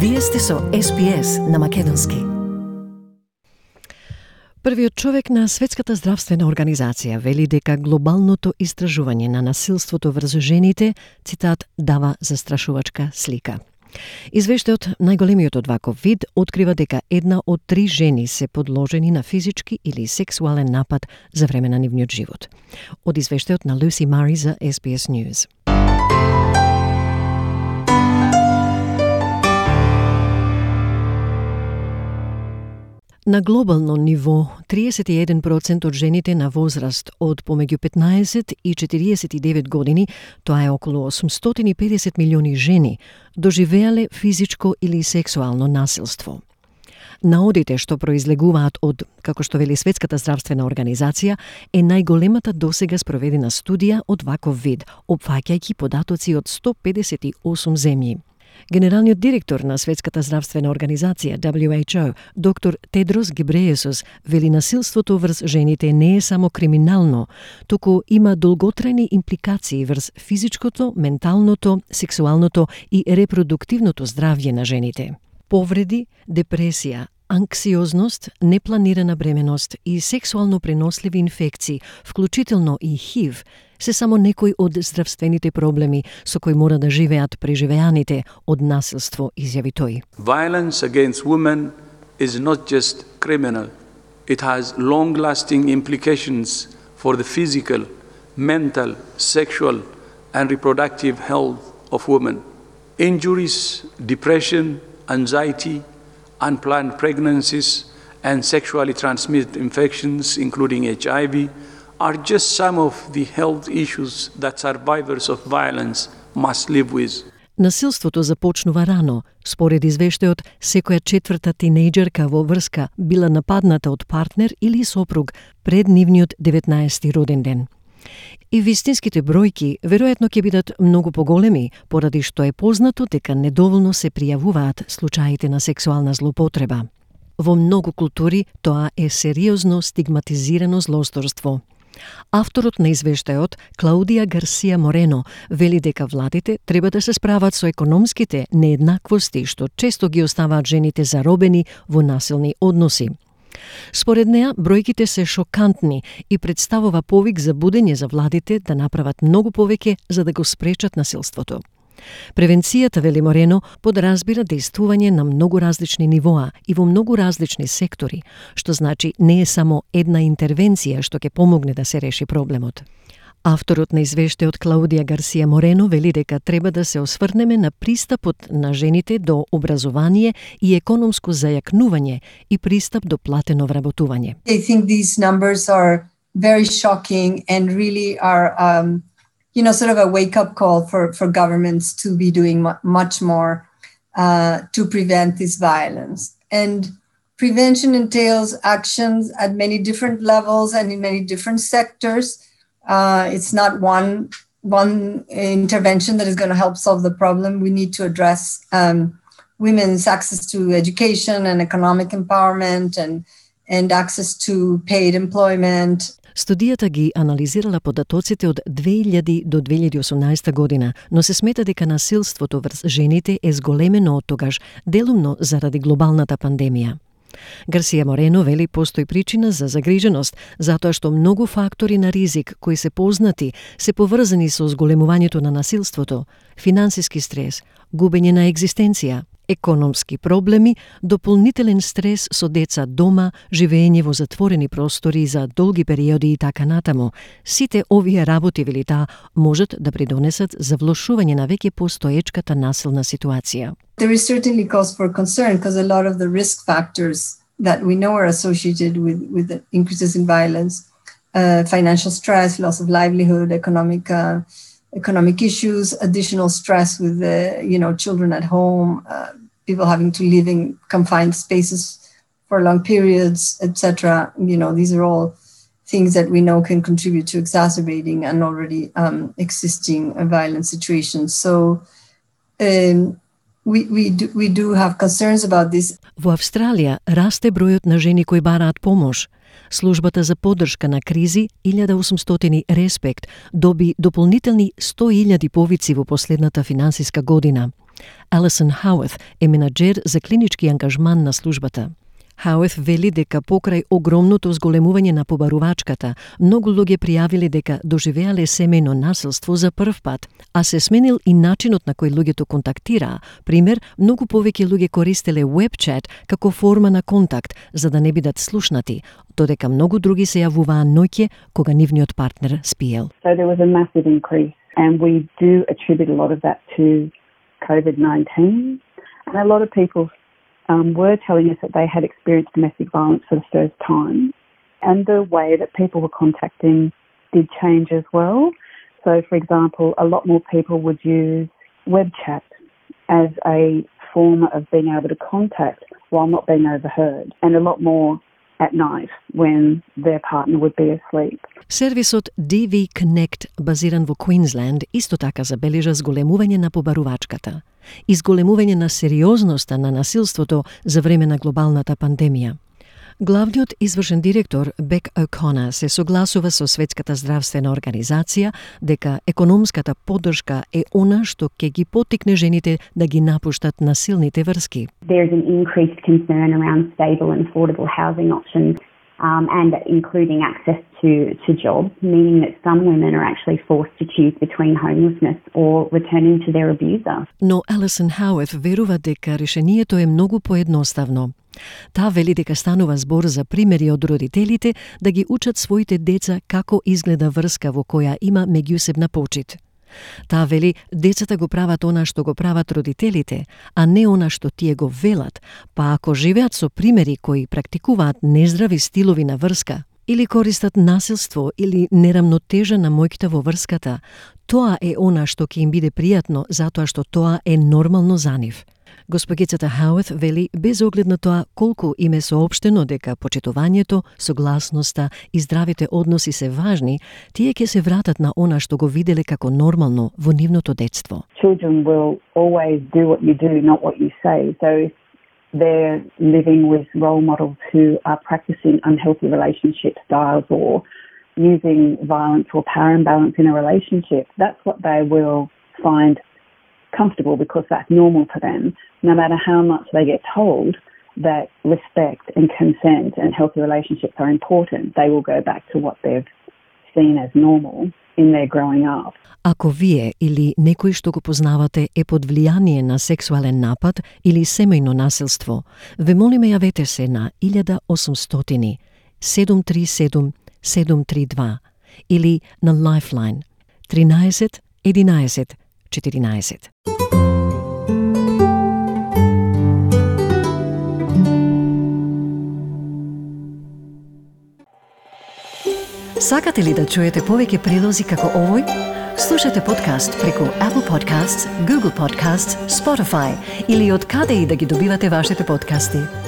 Вие сте со SPS на македонски. Првиот човек на Светската здравствена организација вели дека глобалното истражување на насилството врз жените, цитат, дава застрашувачка слика. Извештајот најголемиот од ваков вид открива дека 1 од 3 жени се подложени на физички или сексуален напад за време на нивниот живот. Од извештајот на Lucy Murray за SBS News. На глобално ниво, 31% од жените на возраст од помеѓу 15 и 49 години, тоа е околу 850 милиони жени, доживеале физичко или сексуално насилство. Наодите што произлегуваат од, како што вели Светската здравствена организација, е најголемата досега спроведена студија од ваков вид, опфаќајќи податоци од 158 земји. Генералниот директор на Светската здравствена организација, WHO, доктор Тедрос Гебрејесус, вели насилството врз жените не е само криминално, туку има долготрајни импликации врз физичкото, менталното, сексуалното и репродуктивното здравје на жените. Повреди, депресија, анксиозност, непланирана бременост и сексуално преносливи инфекции, вклучително и ХИВ, се само некои од здравствените проблеми со кои мора да живеат преживеаните од насилство, изјави тој. Violence against women is not just criminal. It has long-lasting implications for the physical, mental, sexual and reproductive health of women. Injuries, depression, anxiety, unplanned pregnancies and sexually transmitted infections, including HIV, are just some of the health issues that survivors of violence must live with. Насилството започнува рано. Според извештајот, секоја четврта тинејџерка во врска била нападната од партнер или сопруг пред нивниот 19-ти роден ден. И вистинските бројки веројатно ќе бидат многу поголеми, поради што е познато дека недоволно се пријавуваат случаите на сексуална злоупотреба. Во многу култури тоа е сериозно стигматизирано злосторство. Авторот на извештајот, Клаудија Гарсија Морено, вели дека владите треба да се справат со економските нееднаквости што често ги оставаат жените заробени во насилни односи. Според неа, бројките се шокантни и представува повик за будење за владите да направат многу повеќе за да го спречат насилството. Превенцијата, вели Морено, подразбира действување на многу различни нивоа и во многу различни сектори, што значи не е само една интервенција што ќе помогне да се реши проблемот. Авторот на извештајот Клаудија Гарсија Морено вели дека треба да се осврнеме на пристапот на жените до образование и економско зајакнување и пристап до платено вработување. I think these numbers are very shocking and really are sort of a wake-up call for governments to be doing much more to prevent this violence. And prevention entails actions at many different levels and in many different sectors. It's not one intervention that is going to help solve the problem. We need to address women's access to education and economic empowerment and access to paid employment. Студијата ги анализирала податоците од 2000 до 2018 година, но се смета дека насилството врз жените е зголемено од тогаш, делумно заради глобалната пандемија. Гарсија Морено вели постои причина за загриженост, затоа што многу фактори на ризик кои се познати се поврзани со зголемувањето на насилството, финансиски стрес, губење на екзистенција, економски проблеми, дополнителен стрес со деца дома, живење во затворени простори за долги периоди и така натаму. Сите овие работи, вели таа, можат да придонесат за влошување на веќе постоечката насилна ситуација. There is certainly cause for concern because a lot of the risk factors that we know are associated with the increases in violence, financial stress, loss of livelihood, economic issues, additional stress with children at home, people having to live in confined spaces for long periods, etc. These are all things that we know can contribute to exacerbating an already existing violent situation. So we do have concerns about this. Во Австралија расте бројот на жени кои бараат помош. Службата за поддршка на кризи 1800 Респект доби дополнителни 100.000 повици во последната финансиска година. Алисон Хауърth е менаџер за клинички ангажман на службата. Хауърth вели дека покрај огромното зголемување на побарувачката, многу луѓе пријавиле дека доживеале семејно насилство за прв пат, а се сменил и начинот на кој луѓето контактираа. Пример, многу повеќе луѓе користеле веб-чат како форма на контакт за да не бидат слушнати, додека многу други се јавуваа ноќе кога нивниот партнер спиел. So there was a massive increase and we do attribute a lot of that to COVID-19 and a lot of people were telling us that they had experienced domestic violence for the first time, and the way that people were contacting did change as well. So, for example, a lot more people would use web chat as a form of being able to contact while not being overheard, and a lot more at night when their partner would be asleep. Сервисот DV Connect, базиран во Квинсленд, исто така забележа зголемување на побарувачката и зголемување на сериозноста на насилството за време на глобалната пандемија. Главниот извршен директор Бек О'Конер се согласува со Светската здравствена организација дека економската поддршка е она што ќе ги поттикне жените да ги напуштат насилните врски. There is an increased concern around stable and affordable housing options and including access to jobs, meaning that some women are actually forced to choose between homelessness or returning to their abuser. Но Алисон Хауърth верува дека решението е многу поедноставно. Таа вели дека станува збор за примери од родителите да ги учат своите деца како изгледа врска во која има меѓусебна почит. Таа вели децата го прават она што го прават родителите, а не она што тие го велат, па ако живеат со примери кои практикуваат нездрави стилови на врска, или користат насилство или нерамнотежа на моќта во врската, тоа е она што ќе им биде пријатно затоа што тоа е нормално за нив. Госпогицата Хауърth вели без оглед на тоа колку им е соопштено дека почитувањето, согласноста и здравите односи се важни, тие ќе се вратат на она што го виделе како нормално во нивното детство. Children will always do what you do, not what you say. So if they're living with role models who are practicing unhealthy relationship styles or using violence or power imbalance in a relationship, that's what they will find comfortable because that's normal to them. No matter how much they get told that respect and consent and healthy relationships are important, they will go back to what they've seen as normal in their growing up. Ако вие или некој што го познавате е под влијание на сексуален напад или семејно насилство, ве молиме јавете се на 1800 737 732 или на Lifeline 13 11 14. Сакате ли да чуете повеќе прилози како овој? Слушате подкаст преку Apple Podcasts, Google Podcasts, Spotify или од каде и да ги добивате вашите подкасти.